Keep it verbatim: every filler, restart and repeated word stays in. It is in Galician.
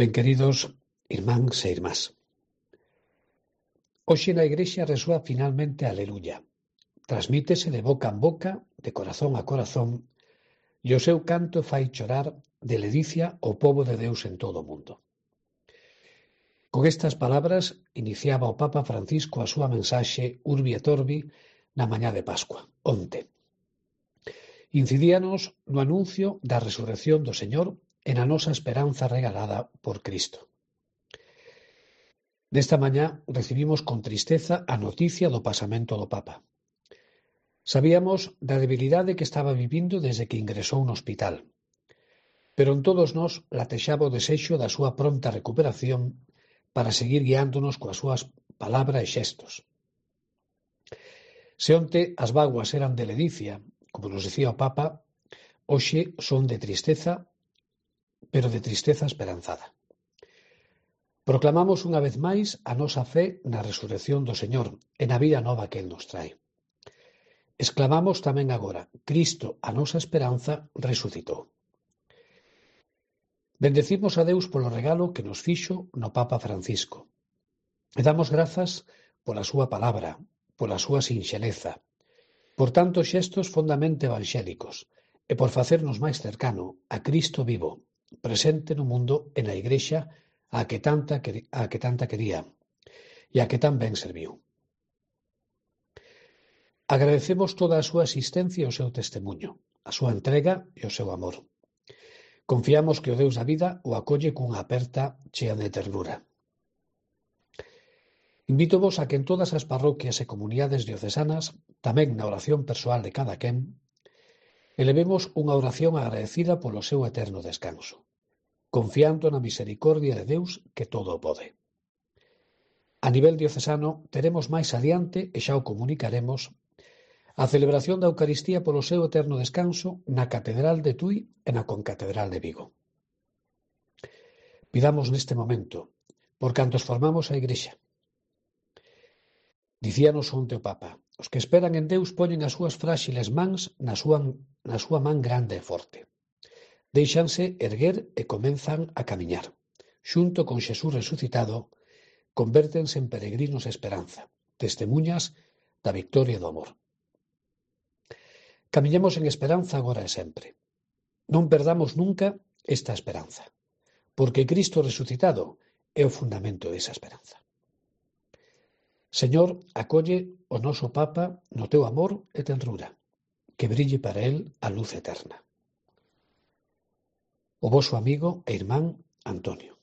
Ben queridos irmáns e irmás, hoxe na Igrexa resoa finalmente a Aleluya. Transmítese de boca en boca, de corazón a corazón, e o seu canto fai chorar de ledicia o pobo de Deus en todo o mundo. Con estas palabras iniciaba o Papa Francisco a súa mensaxe Urbi et Orbi na mañá de Pascua, onte. Incidíanos no anuncio da resurrección do Señor e na nosa esperanza regalada por Cristo. Nesta mañá recibimos con tristeza a noticia do pasamento do Papa. Sabíamos da debilidade que estaba vivindo desde que ingresou no hospital, pero en todos nós latexaba o desexo da súa pronta recuperación para seguir guiándonos coas súas palabras e xestos. Se onte as vaguas eran de ledicia, como nos dicía o Papa, hoxe son de tristeza, pero de tristeza esperanzada. Proclamamos unha vez máis a nosa fe na resurrección do Señor e na vida nova que Él nos trae. Exclamamos tamén agora, Cristo, a nosa esperanza, resucitou. Bendecimos a Deus polo regalo que nos fixo no Papa Francisco. E damos grazas pola súa palabra, pola súa sinxeleza, por tantos xestos fondamente evangélicos e por facernos máis cercano a Cristo vivo, presente no mundo e na Igrexa a que tanta, a que tanta quería e a que tan ben serviu. Agradecemos toda a súa asistencia e o seu testemunho, a súa entrega e o seu amor. Confiamos que o Deus da vida o acolle cunha aperta chea de ternura. Invítovos a que en todas as parroquias e comunidades diocesanas, tamén na oración persoal de cada quen, elevemos unha oración agradecida polo seu eterno descanso, confiando na misericordia de Deus que todo o pode. A nivel diocesano teremos máis adiante, e xa o comunicaremos, a celebración da Eucaristía polo seu eterno descanso na Catedral de Tui e na Concatedral de Vigo. Pidamos neste momento, por cantos formamos a Igrexa. Dicíanos onte o Papa, os que esperan en Deus poñen as súas fráxiles mans na súa, na súa man grande e forte. Déixanse erguer e comenzan a camiñar. Xunto con Xesús resucitado, convértense en peregrinos de esperanza, testemuñas da victoria do amor. Camiñemos en esperanza agora e sempre. Non perdamos nunca esta esperanza, porque Cristo resucitado é o fundamento desa esperanza. Señor, acolle o noso Papa no teu amor e tenrura, que brille para él a luz eterna. O voso amigo e irmán Antonio.